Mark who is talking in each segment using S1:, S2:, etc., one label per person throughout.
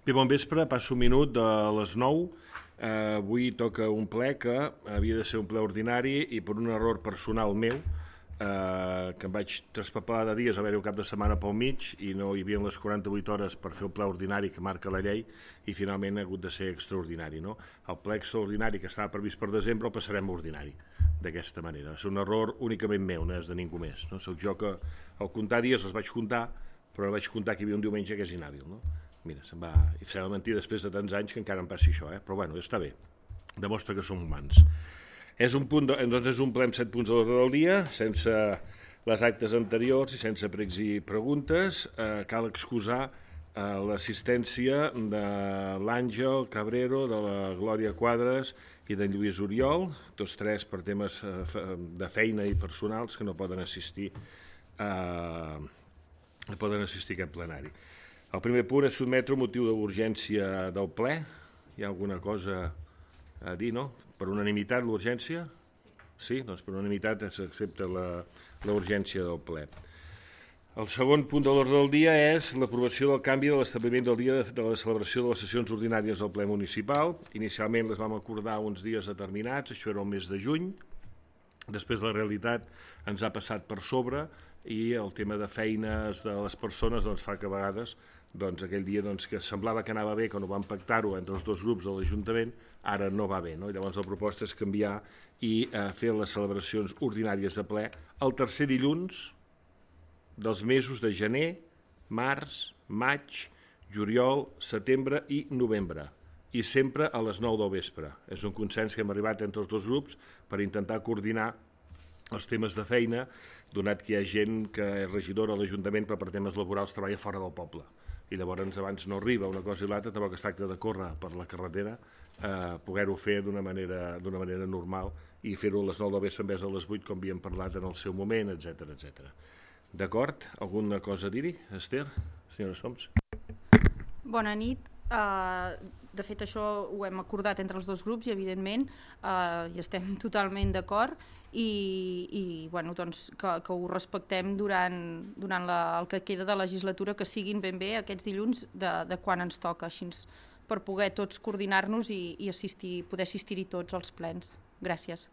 S1: Bé, bon vespre, passo un minut de les 9. Avui toca un ple que havia de ser un ple ordinari i per un error personal meu, que em vaig traspapelar de dies, a haver-hi un cap de setmana pel mig i no hi havia les 48 hores per fer el ple ordinari que marca la llei i finalment ha hagut de ser extraordinari. No? El ple extraordinari que estava previst per desembre el passarem a ordinari, d'aquesta manera. Va ser un error únicament meu, no és de ningú més. No? Soc jo que al comptar dies els vaig comptar, però vaig comptar que hi havia un diumenge que és inhàbil. No? Mira, se'm va... I s'ha de mentir després de tants anys que encara em passi això, però bueno, està bé. Demostra que som humans. És un ple amb 7 punts de l'ordre del dia, sense les actes anteriors i sense pregs i preguntes. Cal excusar l'assistència de l'Àngel Cabrero, de la Glòria Quadres i d'en Lluís Oriol, tots tres per temes de feina i personals que no poden assistir a aquest plenari. El primer punt és sotmetre un motiu d'urgència del ple. Hi ha alguna cosa a dir, no? Per unanimitat, l'urgència? Sí? Doncs per unanimitat s'accepta l'urgència del ple. El segon punt de l'ordre del dia és l'aprovació del canvi de l'establiment del dia de la celebració de les sessions ordinàries del ple municipal. Inicialment les vam acordar uns dies determinats, això era el mes de juny. Després la realitat ens ha passat per sobre i el tema de feines de les persones fa que a vegades aquell dia que semblava que anava bé, que no vam pactar-ho entre els dos grups de l'Ajuntament, ara no va bé. No? I llavors la proposta és canviar i fer les celebracions ordinàries de ple el tercer dilluns dels mesos de gener, març, maig, juliol, setembre i novembre. I sempre a les 9 del vespre. És un consens que hem arribat entre els dos grups per intentar coordinar els temes de feina, donat que hi ha gent que és regidora a l'Ajuntament però per temes laborals treballa fora del poble. I llavors abans no arriba una cosa i l'altra, tampoc es tracta de córrer per la carretera, poder-ho fer d'una manera normal i fer-ho a les 9 del vespre en vez de les 8 com havíem parlat en el seu moment, etc. D'acord? Alguna cosa a dir-hi, Esther? Senyora Soms?
S2: Bona nit. De fet, això ho hem acordat entre els dos grups i, evidentment, hi estem totalment d'acord i que ho respectem durant el que queda de legislatura, que siguin ben bé aquests dilluns de quan ens toca, així per poder tots coordinar-nos i poder assistir-hi tots als plens. Gràcies.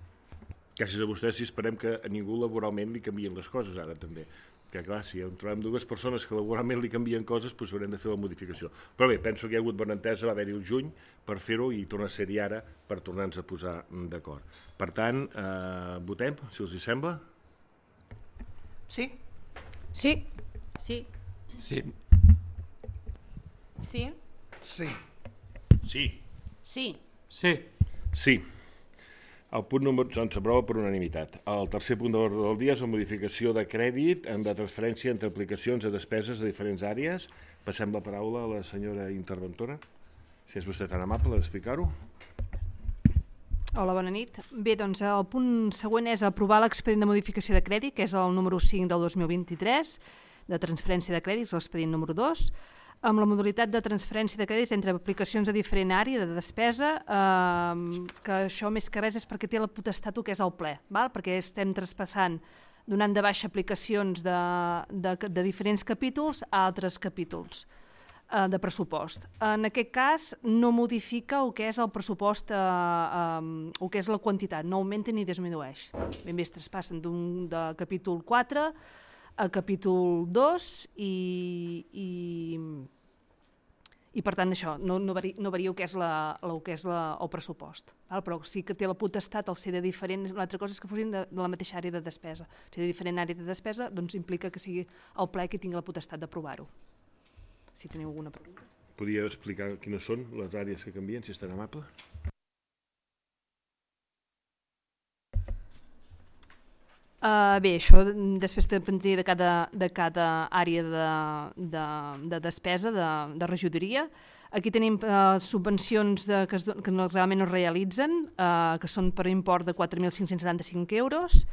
S1: Gràcies a vostès i esperem que a ningú laboralment li canvien les coses ara també. Que clar, si trobem dues persones que laboralment li canvien coses, doncs haurem de fer la modificació. Però bé, penso que hi ha hagut bona entesa, va haver-hi el juny per fer-ho i torna a ser-hi ara per tornar-nos a posar d'acord. Per tant, votem, si us hi sembla.
S3: Sí?
S2: Sí. Sí.
S3: Sí.
S2: Sí.
S3: Sí.
S1: Sí.
S2: Sí.
S3: Sí.
S1: Sí. El punt número s'aprova per unanimitat. El tercer punt de l'ordre del dia és la modificació de crèdit en la transferència entre aplicacions a despeses de diferents àrees. Passem la paraula a la senyora interventora. Si és vostè tan amable d'explicar-ho.
S4: Hola, bona nit. Bé, doncs el punt següent és aprovar l'expedient de modificació de crèdit, que és el número 5 del 2023, de transferència de crèdits, l'expedient número 2, amb la modalitat de transferència de crèdits entre aplicacions a diferent àrea de despesa, que això més que res és perquè té la potestat el que és el ple, perquè estem traspassant, donant de baixa aplicacions de diferents capítols a altres capítols de pressupost. En aquest cas no modifica el que és el pressupost, el que és la quantitat, no augmenta ni disminueix. Ben bé es traspassen de capítol 4 a capítol 2 i per tant això no varia el que és el pressupost, però sí que té la potestat al ser de diferent, una altra cosa és que fossin de la mateixa àrea de despesa. Si de diferent àrea de despesa doncs implica que sigui el ple qui tingui la potestat d'aprovar-ho. Si teniu alguna pregunta.
S1: Podria explicar quines són les àrees que canvien, si és tan amable?
S4: Bé, això després dependria de cada àrea de despesa, de regidoria. Aquí tenim subvencions que realment no es realitzen, que són per import de 4.575 euros.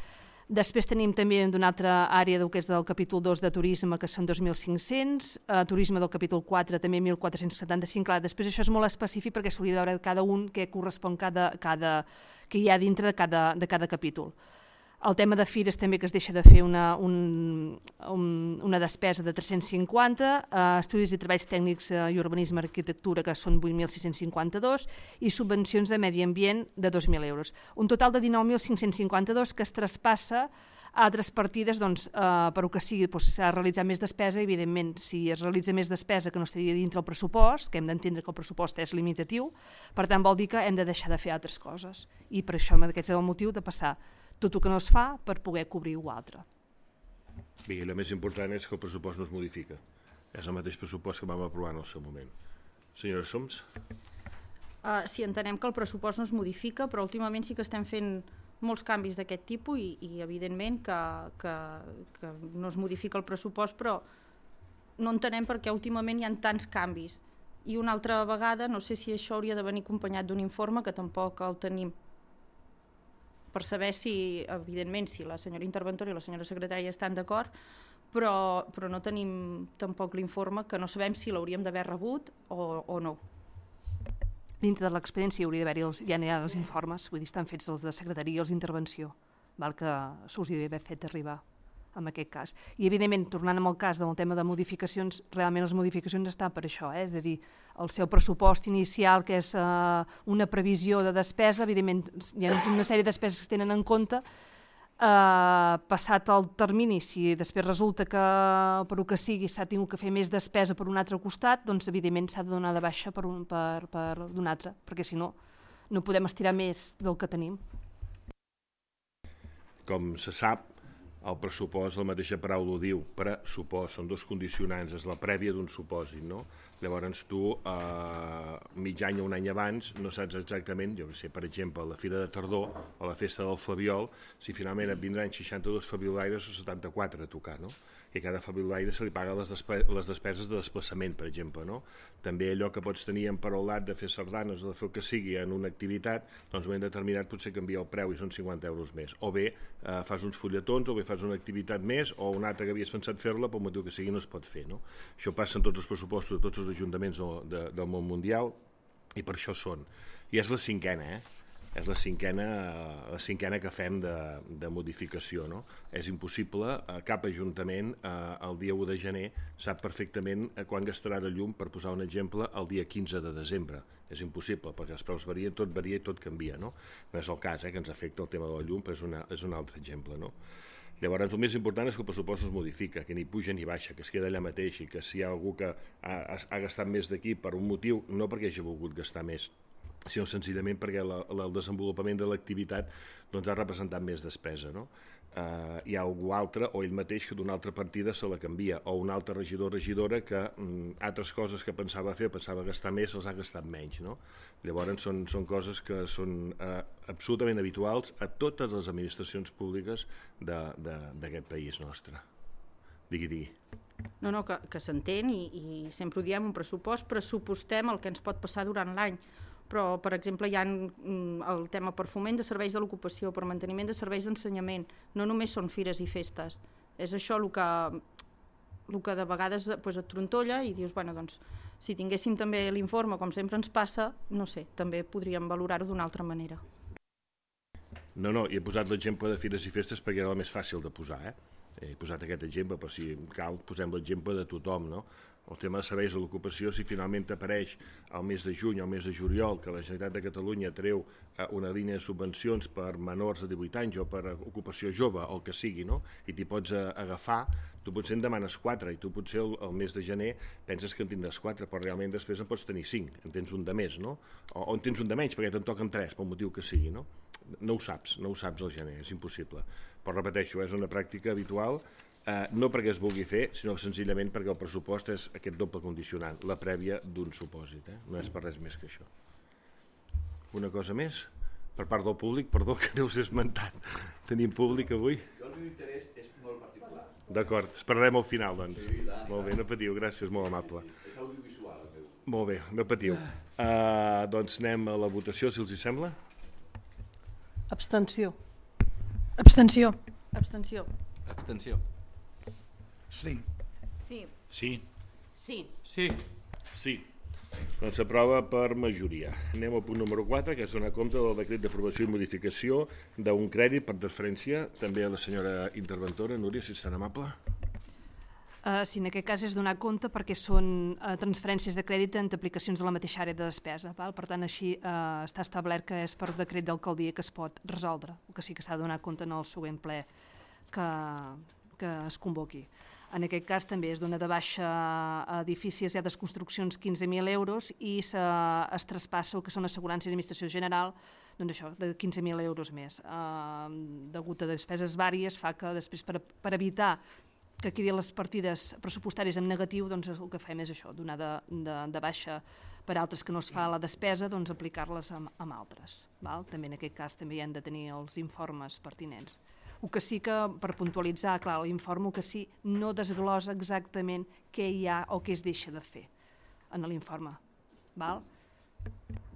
S4: Després tenim també d'una altra àrea que és del capítol 2 de turisme, que són 2.500, turisme del capítol 4 també 1.475. Clar, després això és molt específic perquè s'hauria de veure cada un què correspon que hi ha dintre de cada capítol. El tema de fires també que es deixa de fer una despesa de 350, estudis i treballs tècnics i urbanisme i arquitectura, que són 8.652, i subvencions de medi ambient de 2.000 euros. Un total de 19.552 que es traspassa a altres partides per el que sigui, s'ha de realitzar més despesa. Evidentment, si es realitza més despesa que no estaria dintre el pressupost, que hem d'entendre que el pressupost és limitatiu, per tant vol dir que hem de deixar de fer altres coses. I per això aquest és el motiu de passar tot el que no es fa per poder cobrir ho altre.
S1: Bé, i el més important és que el pressupost no es modifica. És el mateix pressupost que vam aprovar en el seu moment. Senyora Soms?
S2: Sí, entenem que el pressupost no es modifica, però últimament sí que estem fent molts canvis d'aquest tipus i evidentment que no es modifica el pressupost, però no entenem per què últimament hi ha tants canvis. I una altra vegada, no sé si això hauria de venir acompanyat d'un informe, que tampoc el tenim, per saber si, evidentment, si la senyora interventora i la senyora secretària estan d'acord, però no tenim tampoc l'informe, que no sabem si l'hauríem d'haver rebut o no.
S4: Dintre de l'experiència hauria d'haver-hi ja n'hi ha els informes, vull dir, estan fets els de secretaria i els d'intervenció, que s'us hauria d'haver fet arribar en aquest cas. I, evidentment, tornant amb el cas del tema de modificacions, realment les modificacions estan per això, és a dir, el seu pressupost inicial, que és una previsió de despesa, evidentment hi ha una sèrie de despeses que es tenen en compte, passat el termini, si després resulta que per el que sigui s'ha tingut que fer més despesa per un altre costat, doncs evidentment s'ha de donar de baixa per un altre, perquè si no, no podem estirar més del que tenim.
S1: Com se sap, el pressupost, la mateixa paraula ho diu, pressupost, són dos condicionants, és la prèvia d'un supòsit, no? Llavors tu, mig any o un any abans, no saps exactament, jo que sé, per exemple, a la Fira de Tardor o la Festa del Flabiol, si finalment et vindran 62 fabiolaires o 74 a tocar, no? I a cada fabiolaire se li paga les despeses de desplaçament, per exemple, no? També allò que pots tenir emparaulat de fer sardanes o de fer el que sigui en una activitat, doncs en un moment determinat potser canvia el preu i són 50 euros més. O bé fas uns fulletons, o bé fas una activitat més, o una altra que havies pensat fer-la, pel motiu que sigui no es pot fer, no? Això passa en tots els pressupostos de tots els ajuntaments del món mundial i per això són. I és la cinquena, és la cinquena que fem de modificació, no? És impossible, cap ajuntament el dia 1 de gener sap perfectament quan gastarà de llum, per posar un exemple, el dia 15 de desembre. És impossible, perquè els preus varien, tot varia i tot canvia, no? No és el cas, que ens afecta el tema de la llum, però és un altre exemple, no? Llavors, el més important és que el pressupost es modifica, que ni puja ni baixa, que es queda allà mateix, i que si hi ha algú que ha gastat més d'aquí per un motiu, no perquè hagi volgut gastar més, sinó senzillament perquè el desenvolupament de l'activitat ha representat més despesa, no? Hi ha algú altre, o ell mateix, que d'una altra partida se la canvia, o un altre regidor o regidora que altres coses que pensava fer o pensava gastar més, els ha gastat menys, no? Llavors són coses que són absolutament habituals a totes les administracions públiques d'aquest país nostre. Digui.
S2: No, que s'entén i sempre ho diem, un pressupost, pressupostem el que ens pot passar durant l'any, però, per exemple, hi ha el tema per foment de serveis de l'ocupació, per manteniment de serveis d'ensenyament, no només són fires i festes. És això el que de vegades et trontolla i dius, bueno, doncs, si tinguéssim també l'informe, com sempre ens passa, no sé, també podríem valorar-ho d'una altra manera.
S1: No, i he posat l'exemple de fires i festes perquè era el més fàcil de posar, He posat aquest exemple, però si cal posem l'exemple de tothom, no? El tema de serveis de l'ocupació, si finalment t'apareix al mes de juny o al mes de juliol que la Generalitat de Catalunya treu una línia de subvencions per menors de 18 anys o per ocupació jove o el que sigui, no? I t'hi pots agafar, tu potser en demanes 4 i tu potser el mes de gener penses que en tindràs 4, però realment després en pots tenir 5, en tens un de més, no? O en tens un de menys perquè te'n toquen 3, pel motiu que sigui, no? No ho saps al gener, és impossible. Però repeteixo, és una pràctica habitual, no perquè es vulgui fer, sinó senzillament perquè el pressupost és aquest doble condicionant, la prèvia d'un supòsit, no és per res més que això. Una cosa més? Per part del públic, perdó que no us he esmentat. Tenim públic avui?
S5: Jo el meu interès és molt particular.
S1: D'acord, esperarem al final, doncs. Molt bé, no patiu, gràcies, molt amable.
S5: És audiovisual, el meu.
S1: Molt bé, no patiu. Doncs anem a la votació, si els hi sembla.
S3: Abstenció.
S2: Abstenció. Abstenció.
S5: Abstenció.
S3: Sí.
S2: Sí.
S1: Sí.
S2: Sí.
S5: Sí.
S1: Sí. Doncs s'aprova per majoria. Anem al punt número 4, que és donar compte del decret d'aprovació i modificació d'un crèdit per transferència. També a la senyora interventora, Núria, si és tan amable.
S4: Sí, en aquest cas és donar compte perquè són transferències de crèdit entre aplicacions de la mateixa àrea de despesa. Val? Per tant, així està establert que és per decret d'alcaldia que es pot resoldre, o que sí que s'ha de donar compte en el següent ple que es convoqui. En aquest cas també es dona de baixa a edificis i a les construccions 15.000 euros i es traspassa el que són assegurances i administració general, doncs això, de 15.000 euros més. Degut a despeses vàries fa que després per evitar que quedi les partides pressupostàries en negatiu, doncs el que fem és això, donar de baixa per altres que no es fa la despesa, doncs aplicar-les amb altres. Val? També en aquest cas també hi han de tenir els informes pertinents. El que sí que, per puntualitzar, clar, l'informe el que sí no desglosa exactament què hi ha o què es deixa de fer en l'informe. Val?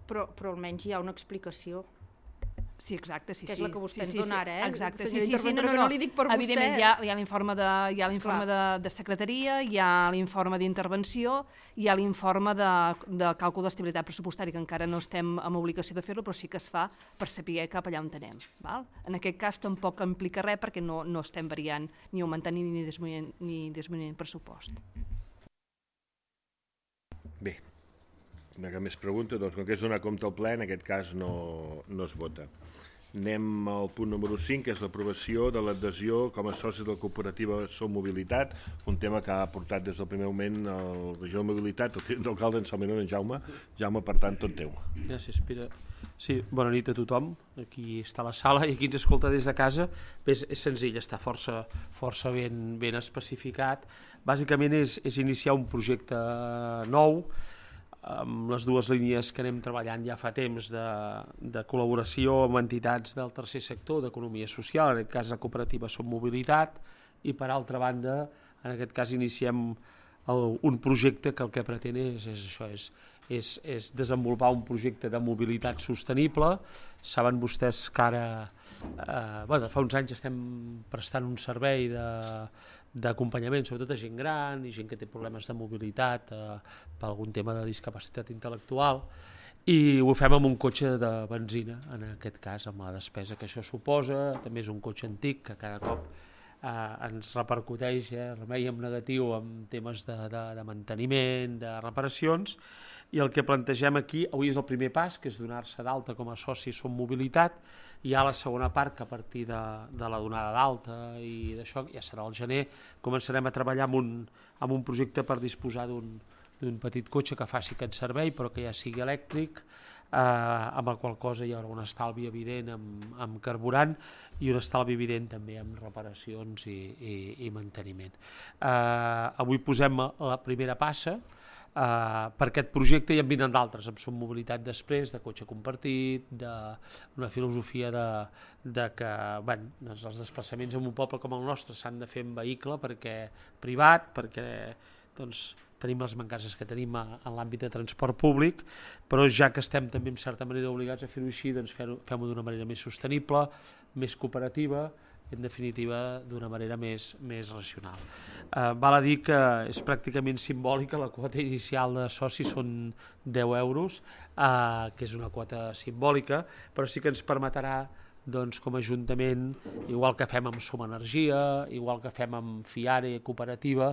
S2: Però almenys hi ha una explicació.
S4: Sí, exacte, sí.
S2: Que és la que vostè ens dona ara,
S4: Exacte,
S2: senyora interventora, que no li dic per vostè.
S4: Evidentment, hi ha l'informe de secretaria, hi ha l'informe d'intervenció, hi ha l'informe de càlcul d'estabilitat pressupostària, que encara no estem en obligació de fer-lo, però sí que es fa per saber cap allà on anem. Val? En aquest cas tampoc implica res perquè no estem variant ni augmentant ni disminuint pressupost.
S1: Bé, no hi ha més pregunta, doncs com que és donar compte al ple, en aquest cas no es vota. Anem al punt número 5, que és l'aprovació de l'adhesió com a soci de la cooperativa Som Mobilitat, un tema que ha portat des del primer moment el regidor de Mobilitat, el tinent d'alcalde en Salminó, en Jaume. Jaume, per tant, tot teu.
S6: Gràcies, Pere. Sí, bona nit a tothom. Aquí està la sala i aquí ens escolta des de casa. Bé, és senzill, està força ben especificat. Bàsicament és iniciar un projecte nou, amb les dues línies que anem treballant ja fa temps de col·laboració amb entitats del tercer sector, d'economia social, en aquest cas la cooperativa Som Mobilitat, i per altra banda, en aquest cas iniciem un projecte que el que pretén és desenvolupar un projecte de mobilitat sostenible. Saben vostès que ara, fa uns anys estem prestant un servei d'acompanyament, sobretot a gent gran i gent que té problemes de mobilitat per algun tema de discapacitat intel·lectual, i ho fem amb un cotxe de benzina, en aquest cas, amb la despesa que això suposa. També és un cotxe antic que cada cop ens repercuteix remei en negatiu en temes de manteniment, de reparacions, i el que plantegem aquí, avui és el primer pas, que és donar-se d'alta com a soci Som Mobilitat. Hi ha la segona part, que a partir de la donada d'alta i d'això, ja serà al gener, començarem a treballar amb un projecte per disposar d'un petit cotxe que faci aquest servei, però que ja sigui elèctric, amb el qual cosa hi haurà un estalvi evident amb carburant i un estalvi evident també amb reparacions i manteniment. Avui posem la primera passa per aquest projecte, i en vindran d'altres, amb Som Mobilitat després, de cotxe compartit, d'una filosofia de que els desplaçaments en un poble com el nostre s'han de fer en vehicle privat, perquè tenim les mancances que tenim en l'àmbit de transport públic, però ja que estem també en certa manera obligats a fer-ho així, doncs fem-ho d'una manera més sostenible, més cooperativa, en definitiva d'una manera més racional. Val a dir que és pràcticament simbòlica, la quota inicial de soci són 10 euros, que és una quota simbòlica, però sí que ens permetrà, com a Ajuntament, igual que fem amb Som Energia, igual que fem amb Fiare Cooperativa,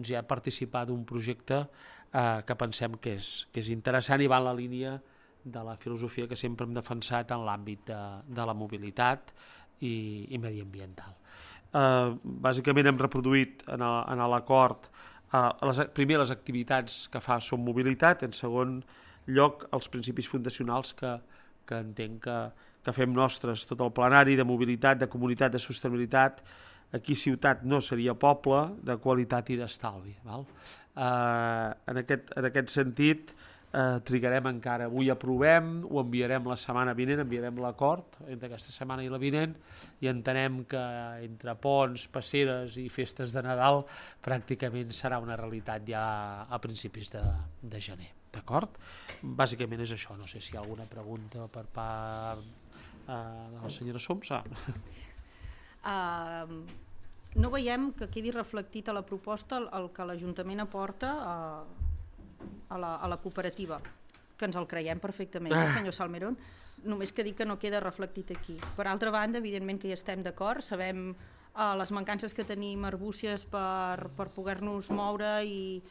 S6: ja participar d'un projecte que pensem que és interessant i va en la línia de la filosofia que sempre hem defensat en l'àmbit de la mobilitat i mediambiental. Bàsicament hem reproduït en l'acord primer les activitats que fa Som Mobilitat, en segon lloc els principis fundacionals que entenc que fem nostres, tot el plenari de mobilitat, de comunitat, de sostenibilitat. Aquí ciutat no seria poble, de qualitat i d'estalvi. En aquest sentit, trigarem encara. Avui aprovem, ho enviarem la setmana vinent, enviarem l'acord entre aquesta setmana i la vinent, i entenem que entre ponts, passeres i festes de Nadal pràcticament serà una realitat ja a principis de gener. D'acord? Bàsicament és això. No sé si hi ha alguna pregunta per part de la senyora Soms.
S2: No veiem que quedi reflectit a la proposta el que l'Ajuntament aporta a la cooperativa, que ens el creiem perfectament, senyor Salmerón, només que dic que no queda reflectit aquí. Per altra banda, evidentment que hi estem d'acord, sabem les mancances que tenim arbúcies per poder-nos moure i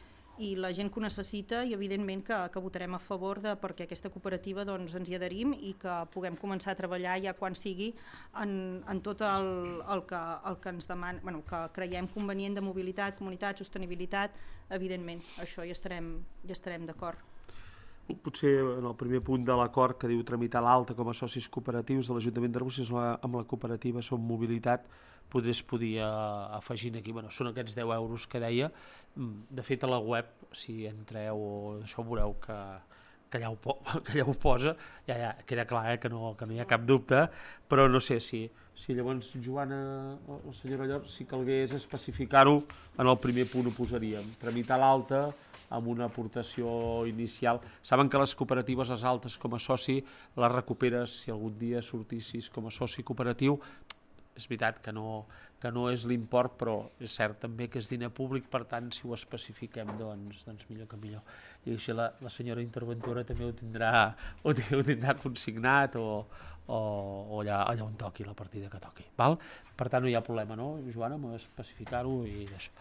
S2: la gent que ho necessita, i evidentment que votarem a favor perquè aquesta cooperativa ens hi adherim i que puguem començar a treballar ja quan sigui en tot el que ens demana, que creiem convenient de mobilitat, comunitat, sostenibilitat, evidentment, això hi estarem d'acord.
S6: Potser en el primer punt de l'acord que diu tramitar l'alta com a socis cooperatius de l'Ajuntament d'Arbúcies amb la cooperativa Som Mobilitat, potser es podia afegir aquí, són aquests 10 euros que deia. De fet, a la web, si entreu o això, veureu que allà ho posa, ja queda clar que no hi ha cap dubte, però no sé si llavors, Joana o la senyora Llor, si calgués especificar-ho, en el primer punt ho posaríem, tramitar l'alta amb una aportació inicial. Saben que les cooperatives, les altes com a soci, les recuperes si algun dia sortissis com a soci cooperatiu. És veritat que no és l'import, però és cert també que és diner públic, per tant, si ho especifiquem, doncs millor que millor. I així la senyora interventora també ho tindrà consignat o allà on toqui, la partida que toqui. Val? Per tant, no hi ha problema, no, Joana, amb especificar-ho i això.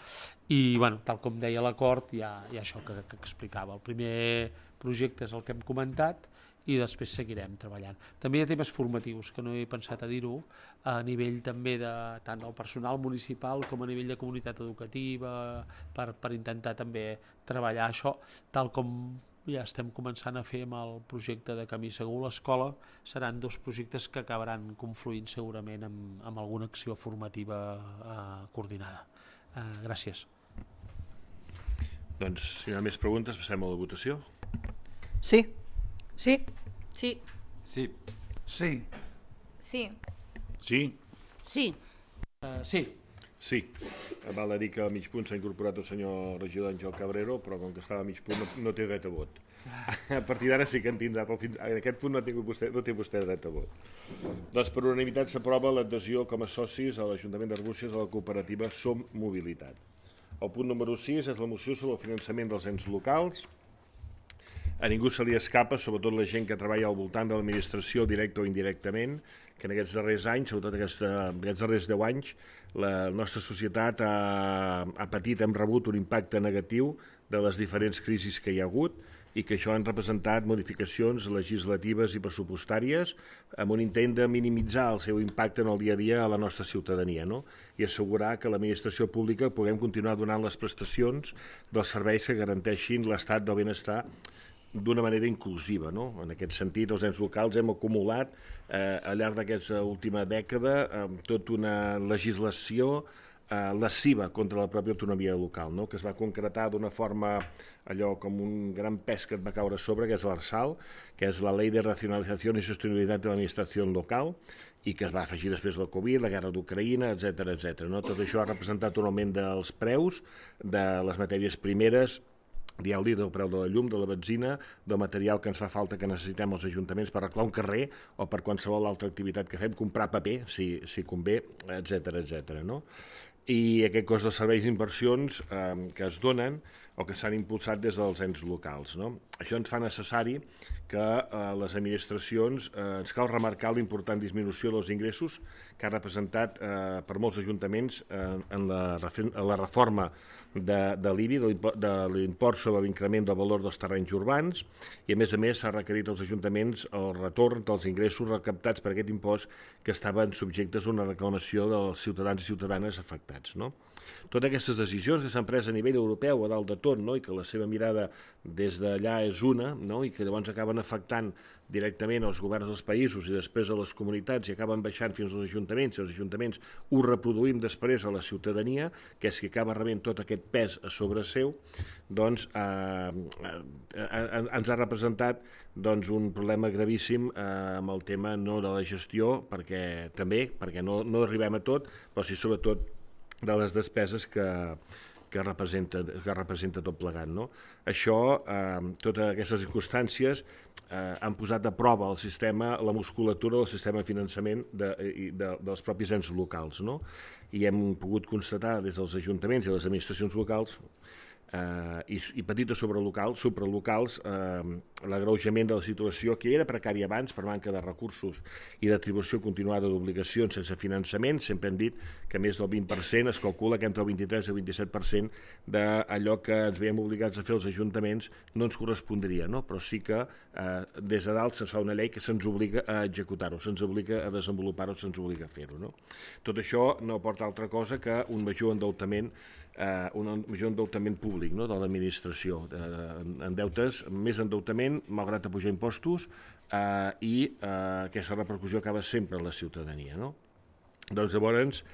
S6: I, tal com deia l'acord, hi ha això que explicava. El primer projecte és el que hem comentat i després seguirem treballant. També hi ha temes formatius, que no he pensat a dir-ho, a nivell també tant del personal municipal com a nivell de comunitat educativa, per intentar també treballar això, tal com ja estem començant a fer amb el projecte de Camí Segur a l'escola. Seran 2 projectes que acabaran confluint segurament amb alguna acció formativa coordinada. Gràcies.
S1: Doncs, si no hi ha més preguntes, passem a la votació.
S3: Sí.
S2: Sí. Sí.
S5: Sí.
S3: Sí.
S2: Sí.
S1: Sí?
S2: Sí.
S6: Sí.
S1: Sí. Val a dir que a mig punt s'ha incorporat el senyor regidor Àngel Cabrero, però com que estava a mig punt no té dret a vot. A partir d'ara sí que en tindrà, però en aquest punt no té vostè dret a vot. Doncs per unanimitat s'aprova l'adhesió com a socis a l'Ajuntament d'Arbúcies a la cooperativa Som Mobilitat. El punt número 6 és la moció sobre el finançament dels ens locals. A ningú se li escapa, sobretot la gent que treballa al voltant de l'administració directa o indirectament, que en aquests darrers anys, sobretot aquests darrers 10 anys, la nostra societat ha patit, hem rebut un impacte negatiu de les diferents crisis que hi ha hagut i que això han representat modificacions legislatives i pressupostàries amb un intent de minimitzar el seu impacte en el dia a dia a la nostra ciutadania, no? I assegurar que l'administració pública puguem continuar donant les prestacions dels serveis que garanteixin l'estat del benestar d'una manera inclusiva, no? En aquest sentit, els ens locals hem acumulat al llarg d'aquesta última dècada tota una legislació lesiva contra la pròpia autonomia local, no? Que es va concretar d'una forma allò com un gran pes que et va caure a sobre, que és l'ARSAL, que és la Ley de Racionalización y Sostenibilidad de la Administración Local, i que es va afegir després la Covid, la guerra d'Ucraïna, etc. No? Tot això ha representat un augment dels preus de les matèries primeres, dieu-li del preu de la llum, de la benzina, del material que ens fa falta, que necessitem els ajuntaments per arreglar un carrer o per qualsevol altra activitat que fem, comprar paper, si convé, etc. No? I aquest cost de serveis d'inversions que es donen o que s'han impulsat des dels ens locals. No? Això ens fa necessari que les administracions ens cal remarcar l'important disminució dels ingressos que ha representat per molts ajuntaments en la reforma de l'IBI, de l'import sobre l'increment del valor dels terrenys urbans, i a més s'ha requerit als ajuntaments el retorn dels ingressos recaptats per aquest impost que estaven subjectes a una reclamació dels ciutadans i ciutadanes afectats. No? Totes aquestes decisions que s'han pres a nivell europeu a dalt de tot, no? I que la seva mirada des d'allà és una, no? I que llavors acaben afectant directament als governs dels països i després a les comunitats i acaben baixant fins als ajuntaments, i els ajuntaments ho reproduïm després a la ciutadania, que és qui acaba rebent tot aquest pes a sobre seu, doncs ens ha representat un problema gravíssim amb el tema no de la gestió, perquè no arribem a tot, però sí sobretot de les despeses que representa tot plegat. No? Això, totes aquestes circumstàncies han posat a prova el sistema, la musculatura del sistema de finançament dels propis ens locals. No? I hem pogut constatar des dels ajuntaments i les administracions locals i petites supralocals, l'agreujament de la situació que era precària abans per manca de recursos i d'atribució continuada d'obligacions sense finançament. Sempre hem dit que més del 20% es calcula que entre el 23 i el 27% d'allò que ens veiem obligats a fer els ajuntaments no ens correspondria, no? Però sí que des de dalt se'ns fa una llei que se'ns obliga a executar-ho, se'ns obliga a desenvolupar-ho, se'ns obliga a fer-ho, no? Tot això no porta altra cosa que un major endeutament públic, no?, de l'administració, en deutes, més endeutament, malgrat pujar impostos, i aquesta repercussió acaba sempre en la ciutadania, no? Doncs llavors,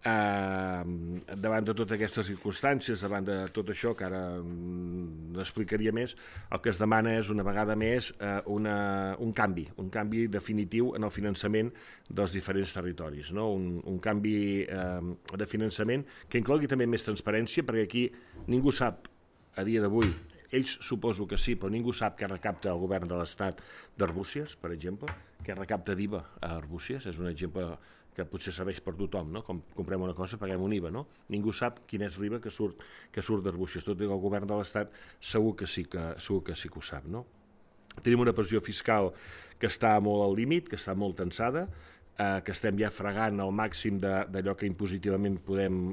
S1: davant de totes aquestes circumstàncies, davant de tot això, que ara n'explicaria més, el que es demana és una vegada més un canvi definitiu en el finançament dels diferents territoris, no? Un canvi de finançament que inclogui també més transparència, perquè aquí ningú sap, a dia d'avui, ells suposo que sí, però ningú sap què recapta el govern de l'Estat d'Arbúcies, per exemple, què recapta d'IVA a Arbúcies, és un exemple que potser serveix per tothom, no? Com comprem una cosa, paguem un IVA, no? Ningú sap quin és l'IVA que surt d'Arbúcies, tot i que el govern de l'Estat segur que sí que ho sap, no? Tenim una pressió fiscal que està molt al límit, que està molt tensada, que estem ja fregant al màxim d'allò que impositivament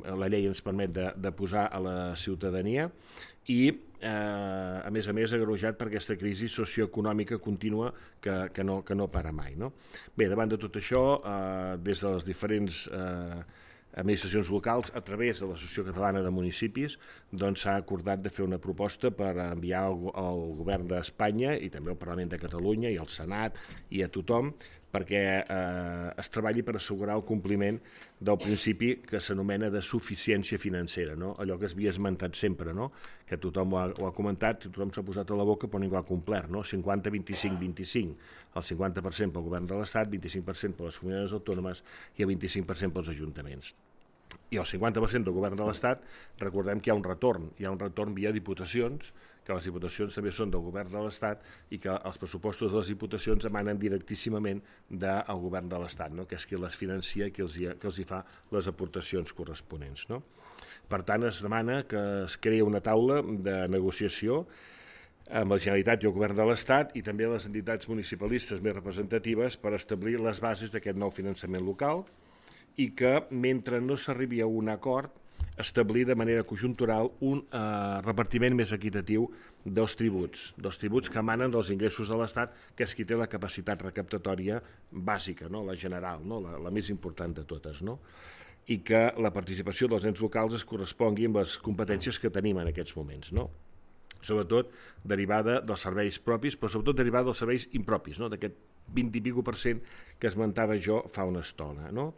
S1: la llei ens permet de posar a la ciutadania, i a més agreujat per aquesta crisi socioeconòmica contínua que no para mai, no? Bé, davant de tot això, des de les diferents administracions locals, a través de l'Associació Catalana de Municipis, doncs s'ha acordat de fer una proposta per enviar al govern d'Espanya i també al Parlament de Catalunya i al Senat i a tothom, perquè es treballi per assegurar el compliment del principi que s'anomena de suficiència financera, no? Allò que es havia esmentat sempre, no? Que tothom ho ha comentat, tothom s'ha posat a la boca però ningú ha complert, no? 50, 25, 25, el 50% pel govern de l'Estat, 25% per les comunitats autònomes i el 25% pels ajuntaments. I el 50% del govern de l'Estat, recordem que hi ha un retorn via diputacions, que les diputacions també són del govern de l'Estat i que els pressupostos de les diputacions emanen directíssimament del govern de l'Estat, no? Que és qui les financia i qui els hi fa les aportacions corresponents, no? Per tant, es demana que es creï una taula de negociació amb la Generalitat i el Govern de l'Estat i també les entitats municipalistes més representatives per establir les bases d'aquest nou finançament local i que, mentre no s'arribi a un acord, establir de manera conjuntural un repartiment més equitatiu dels tributs que emanen dels ingressos de l'Estat, que és qui té la capacitat recaptatòria bàsica, no? La general, no? La més important de totes, no? I que la participació dels ens locals es correspongui amb les competències que tenim en aquests moments, no? Sobretot derivada dels serveis propis, però sobretot derivada dels serveis impropis, no? D'aquest 20 i escaig que esmentava jo fa una estona, no?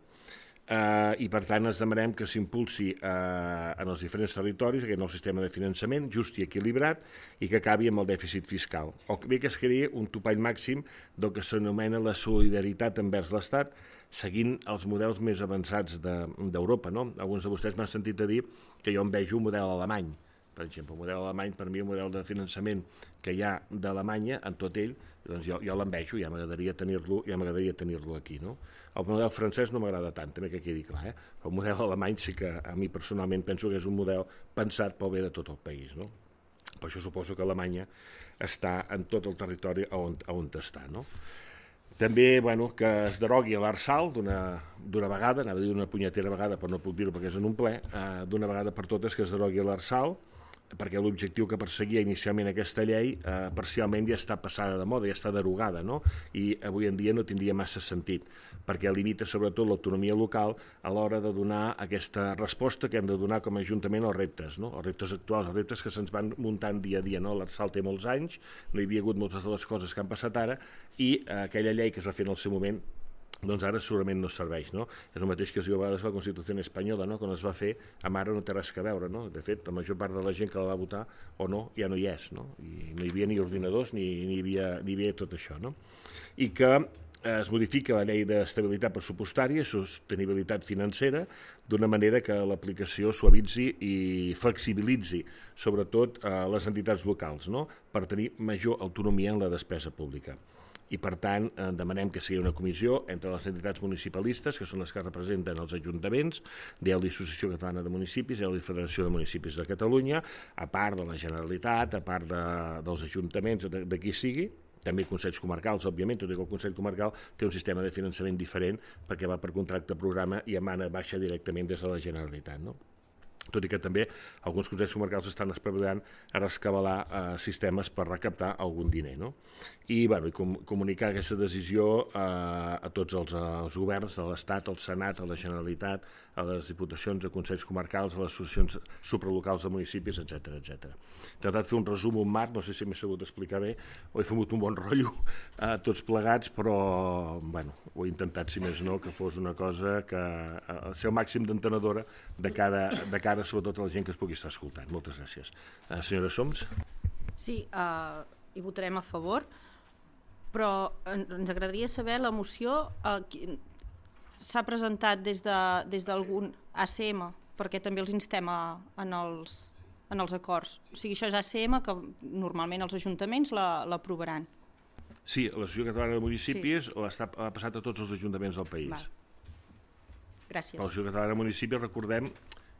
S1: I per tant ens demanem que s'impulsi en els diferents territoris aquest nou sistema de finançament just i equilibrat i que acabi amb el dèficit fiscal, o bé que es creï un topall màxim del que s'anomena la solidaritat envers l'Estat, seguint els models més avançats d'Europa, no? Alguns de vostès m'han sentit a dir que jo envejo un model alemany, per exemple. El model alemany, per mi, el model de finançament que hi ha d'Alemanya en tot ell, doncs jo l'envejo, ja m'agradaria tenir-lo aquí, no? El model francès no m'agrada tant, també que quedi clar, El model alemany sí que a mi personalment penso que és un model pensat pel bé de tot el país, no? Per això suposo que Alemanya està en tot el territori on està, no? També, que es derogui l'Arsal d'una vegada, anava a dir una punyetera vegada, però no puc dir-ho perquè és en un ple, d'una vegada per totes que es derogui l'Arsal, perquè l'objectiu que perseguia inicialment aquesta llei parcialment ja està passada de moda, ja està derogada, no? I avui en dia no tindria massa sentit, perquè limita sobretot l'autonomia local a l'hora de donar aquesta resposta que hem de donar com a Ajuntament als reptes, no? Els reptes actuals, els reptes que se'ns van muntant dia a dia, no? L'Arsal té molts anys, no hi havia hagut moltes de les coses que han passat ara, i aquella llei que es va fer en el seu moment doncs ara segurament no serveix, no? És el mateix que es diu a vegades la Constitució espanyola, no? Quan es va fer, amb ara no té res a veure, no? De fet, la major part de la gent que la va votar o no, ja no hi és, no? I no hi havia ni ordinadors ni hi havia tot això, no? I que es modifica la llei d'estabilitat pressupostària i sostenibilitat financera d'una manera que l'aplicació suavitzi i flexibilitzi sobretot les entitats locals, no? Per tenir major autonomia en la despesa pública. i per tant demanem que sigui una comissió entre les entitats municipalistes, que són les que representen els ajuntaments, de l'Associació Catalana de Municipis i de la Federació de Municipis de Catalunya, a part de la Generalitat, a part dels ajuntaments, de qui sigui, també consells comarcals, òbviament, tot i que el Consell Comarcal té un sistema de finançament diferent perquè va per contracte programa i emana baixa directament des de la Generalitat, no? Tot i que també alguns consells comarcals estan espavilant a rescabalar sistemes per recaptar algun diner, no? I comunicar aquesta decisió a tots els governs de l'Estat, al Senat, a la Generalitat, a les diputacions, a consells comarcals, a les associacions supralocals de municipis, etc etc. He tratat de fer un resum, un marc, no sé si m'he sabut explicar bé o he fet un bon rotllo tots plegats, però ho he intentat, si més no, que fos una cosa que ser el màxim d'entenedora de cara sobretot a la gent que es pugui estar escoltant. Moltes gràcies. Senyora Soms?
S2: Sí, hi votarem a favor, però ens agradaria saber la moció s'ha presentat des d'algun ACM, perquè també els instem en els acords. O sigui, això és ACM, que normalment els ajuntaments l'aprovaran.
S1: Sí, l'Associació Catalana de Municipis l'ha passat a tots els ajuntaments del país.
S2: Gràcies.
S1: L'Associació Catalana de Municipis, recordem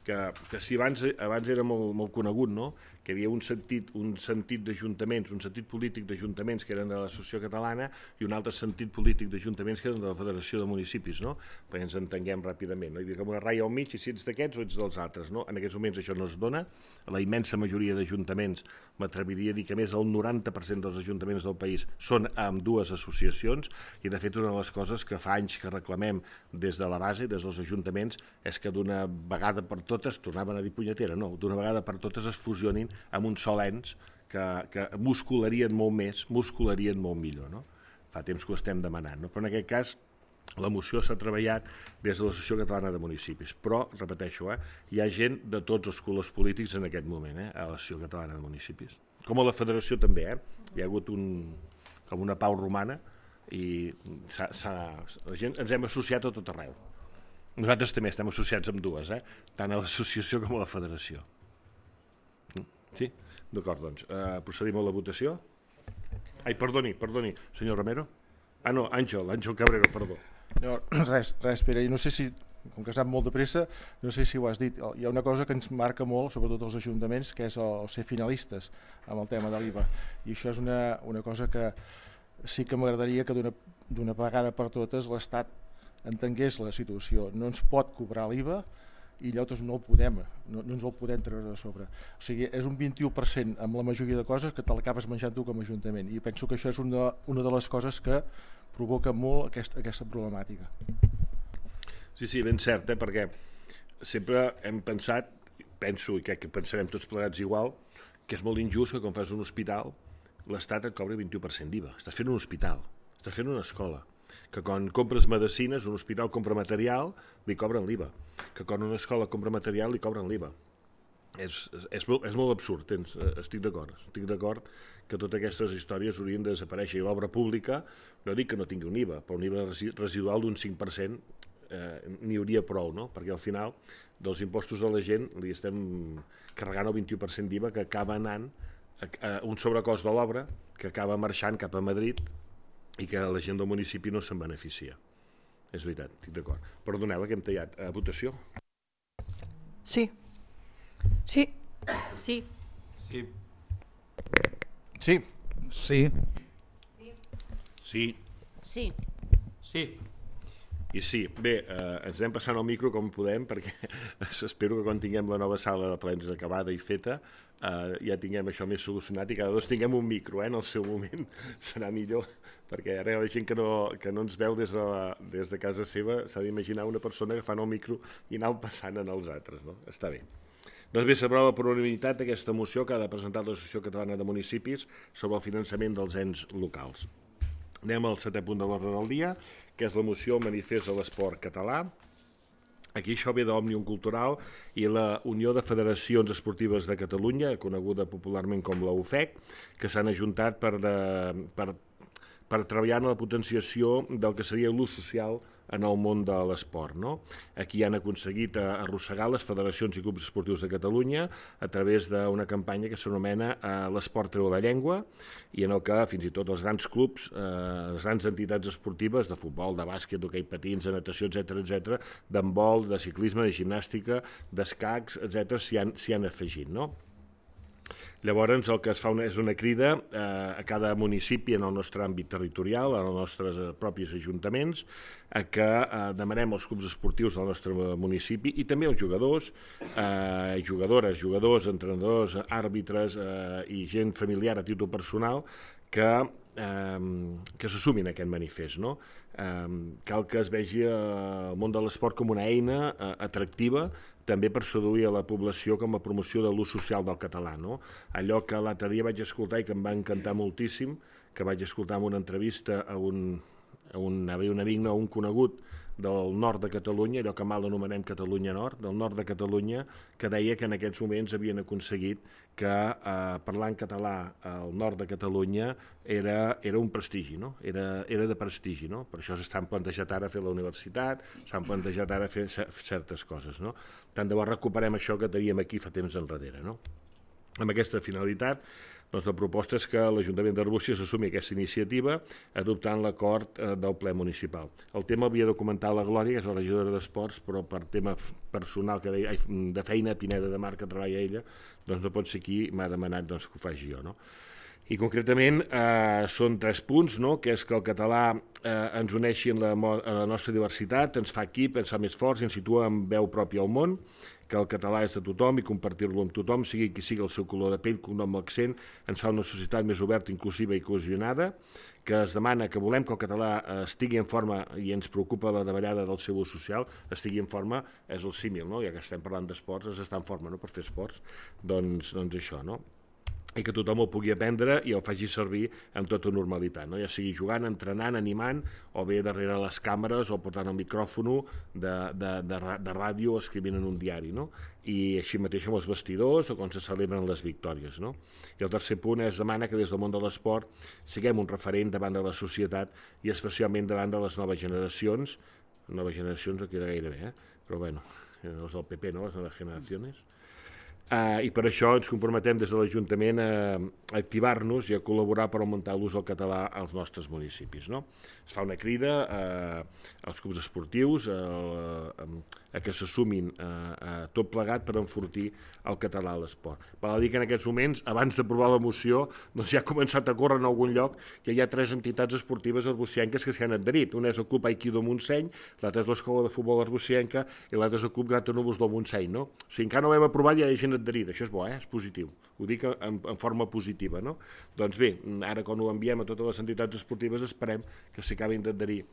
S1: que si abans era molt conegut, no? Que hi havia un sentit d'ajuntaments, un sentit polític d'ajuntaments que eren de l'Associació Catalana i un altre sentit polític d'ajuntaments que eren de la Federació de Municipis, no? Perquè ens entenguem ràpidament, no? Hi havia com una ratlla al mig i si ets d'aquests o ets dels altres, no? En aquests moments això no es dona. La immensa majoria d'ajuntaments, m'atreviria a dir que més del 90% dels ajuntaments del país són amb dues associacions i de fet una de les coses que fa anys que reclamem des de la base, des dels ajuntaments, és que d'una vegada per totes, tornaven a dir punyetera, no, d'una vegada per totes es fusionin amb un sol ens que muscularien molt més, muscularien molt millor, no? Fa temps que ho estem demanant, no? Però en aquest cas la moció s'ha treballat des de l'Associació Catalana de Municipis, però, repeteixo, hi ha gent de tots els colors polítics en aquest moment, a l'Associació Catalana de Municipis. Com a la Federació també, hi ha hagut com una pau romana i la gent ens hem associat a tot arreu. Nosaltres també estem associats amb dues, tant a l'associació com a la Federació. Sí? D'acord, doncs. Procedim a la votació. Ai, perdoni, senyor Romero. Ah, no, Àngel Cabrero, perdó.
S7: No, res, Pere, i no sé si, com que has anat molt de pressa, no sé si ho has dit, hi ha una cosa que ens marca molt, sobretot els ajuntaments, que és el ser finalistes amb el tema de l'IVA, i això és una cosa que sí que m'agradaria que d'una vegada per totes l'Estat entengués la situació. No ens pot cobrar l'IVA i llavors no ens el podem treure de sobre. O sigui, és un 21% amb la majoria de coses que te l'acabes menjant tu com a ajuntament, i penso que això és una de les coses que provoca molt aquesta problemàtica.
S1: Sí, ben cert, perquè sempre hem pensat, penso i crec que pensarem tots plegats igual, que és molt injust que quan fas un hospital l'Estat et cobri 21% d'IVA. Estàs fent un hospital, estàs fent una escola, que quan compres medicines, un hospital compra material, li cobren l'IVA, que quan una escola compra material li cobren l'IVA. És molt absurd, estic d'acord que totes aquestes històries haurien de desaparèixer, i l'obra pública, no dic que no tingui un IVA, però un IVA residual d'un 5% n'hi hauria prou, no? Perquè al final dels impostos de la gent li estem carregant el 21% d'IVA que acaba anant a un sobrecost de l'obra que acaba marxant cap a Madrid i que la gent del municipi no se'n beneficia. És veritat, estic d'acord. Perdoneu, que hem tallat. Votació?
S3: Sí.
S2: Sí.
S5: Sí.
S7: Sí.
S3: Sí.
S1: Sí.
S2: Sí.
S6: Sí.
S1: I sí. Bé, ens anem passant el micro com podem, perquè espero que quan tinguem la nova sala de plens acabada i feta ja tinguem això més solucionat i cada dos tinguem un micro, en el seu moment serà millor, perquè ara la gent que no ens veu des de casa seva s'ha d'imaginar una persona agafant el micro i anar passant en els altres, no? Està bé. Doncs bé, s'aprova per unanimitat aquesta moció que ha de presentar l'Associació Catalana de Municipis sobre el finançament dels ens locals. Anem al 7è punt de l'ordre del dia, que és la moció Manifest de l'Esport Català. Aquí això ve d'Òmnium Cultural i la Unió de Federacions Esportives de Catalunya, coneguda popularment com la UFEC, que s'han ajuntat per treballar en la potenciació del que seria l'ús social en el món de l'esport, no? Aquí han aconseguit arrossegar les federacions i clubs esportius de Catalunya a través d'una campanya que s'anomena l'esport treu la llengua, i en el que fins i tot els grans clubs, les grans entitats esportives de futbol, de bàsquet, d'hoquei patins, de natació, etc, d'handbol, de ciclisme, de gimnàstica, d'escacs, etc, s'hi han afegit, no? Llavors el que es fa és una crida a cada municipi en el nostre àmbit territorial, en els nostres propis ajuntaments, a que demanem als clubs esportius del nostre municipi i també als jugadors, jugadores, jugadors, entrenadors, àrbitres i gent familiar a títol personal que se sumin a aquest manifest, no? Cal que es vegi el món de l'esport com una eina atractiva també per seduir a la població com a promoció de l'ús social del català, no? Allò que l'altre dia vaig escoltar i que em va encantar moltíssim, que vaig escoltar en una entrevista a un amic, no, un conegut del nord de Catalunya, allò que mal anomenem Catalunya Nord, del nord de Catalunya, que deia que en aquests moments havien aconseguit que parlar en català al nord de Catalunya era un prestigi, no? Era de prestigi, no? Per això s'estan plantejat ara fer la universitat, s'han plantejat ara fer certes coses, no? Tant de bo recuperem això que teníem aquí fa temps enrere, no? Amb aquesta finalitat, doncs la proposta és que l'Ajuntament d'Arbúcies assumi aquesta iniciativa adoptant l'acord del ple municipal. El tema havia de comentar la Glòria, que és la regidora d'Esports, però per tema personal que deia, de feina a Pineda de Mar, que treballa ella, doncs no pot ser aquí, m'ha demanat doncs, que ho faci jo, no? I concretament són 3 punts, no? Que és que el català ens uneixi en la nostra diversitat, ens fa equip, ens fa més forts i ens situa amb veu pròpia al món, que el català és de tothom i compartir-lo amb tothom, sigui qui sigui el seu color de pell, cognom o accent, ens fa una societat més oberta, inclusiva i cohesionada, que es demana que volem que el català estigui en forma i ens preocupa la davallada del seu ús social, estigui en forma, és el símil, no? Ja que estem parlant d'esports, és estar en forma, no? Per fer esports, doncs això, no? I que tothom el pugui aprendre i el faci servir amb tota normalitat, no? Ja sigui jugant, entrenant, animant, o bé darrere les càmeres o portant el micròfon de ràdio o escrivint en un diari, no? I així mateix amb els vestidors o quan se celebren les victòries, no? I el tercer punt es demana que des del món de l'esport siguem un referent davant de la societat i especialment davant de les noves generacions no queda gaire bé, però bueno, els del PP, no? Les noves generacions. I per això ens comprometem des de l'Ajuntament a activar-nos i a col·laborar per augmentar l'ús del català als nostres municipis, no? Es fa una crida als clubs esportius a que se sumin a tot plegat per enfortir el català a l'esport. Val a dir que en aquests moments, abans d'aprovar la moció, doncs ja ha començat a córrer en algun lloc que hi ha 3 entitats esportives arbucienques que s'hi han adherit. Una és el Club Aikido Montseny, l'altra és l'Escola de Futbol Arbucienca i l'altra és el Club Gratanúvols del Montseny, no? O sigui, encara no ho hem aprovat i hi ha gent adherida. Això és bo, és positiu. Ho dic en forma positiva, no? Doncs bé, ara quan ho enviem a totes les entitats esportives esperem que s'hi acabin d'adherir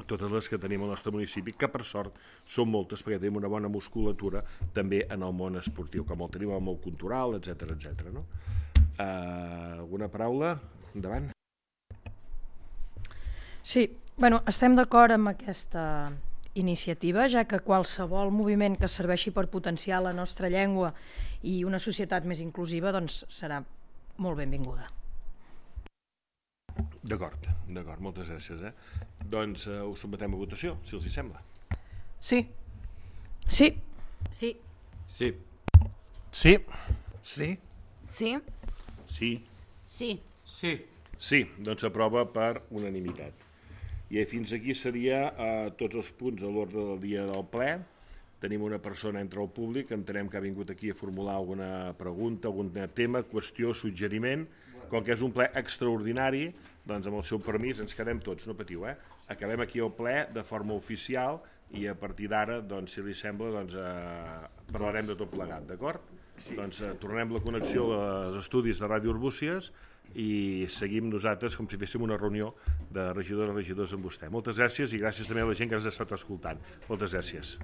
S1: totes les que tenim al nostre municipi, que per sort són moltes perquè tenim una bona musculatura també en el món esportiu, com el tenim al món cultural, etc, no? Alguna paraula? Endavant.
S8: Sí, bueno, estem d'acord amb aquesta iniciativa, ja que qualsevol moviment que serveixi per potenciar la nostra llengua i una societat més inclusiva doncs serà molt benvinguda.
S1: D'acord, moltes gràcies. Doncs ho sotmetem a votació, si els hi sembla.
S3: Sí.
S8: Sí.
S2: Sí.
S5: Sí.
S7: Sí.
S3: Sí.
S2: Sí.
S1: Sí.
S2: Sí.
S6: Sí.
S1: Sí, doncs s'aprova per unanimitat. I fins aquí seria tots els punts a l'ordre del dia del ple. Tenim una persona entre el públic, entenem que ha vingut aquí a formular alguna pregunta, algun tema, qüestió, suggeriment. Com que és un ple extraordinari, doncs amb el seu permís ens quedem tots, no patiu, Acabem aquí el ple de forma oficial i a partir d'ara, doncs, si li sembla, doncs, parlarem de tot plegat, d'acord? Sí. Doncs tornem la connexió als estudis de Ràdio Arbúcies i seguim nosaltres com si féssim una reunió de regidors amb vostè. Moltes gràcies i gràcies també a la gent que ens ha estat escoltant. Moltes gràcies.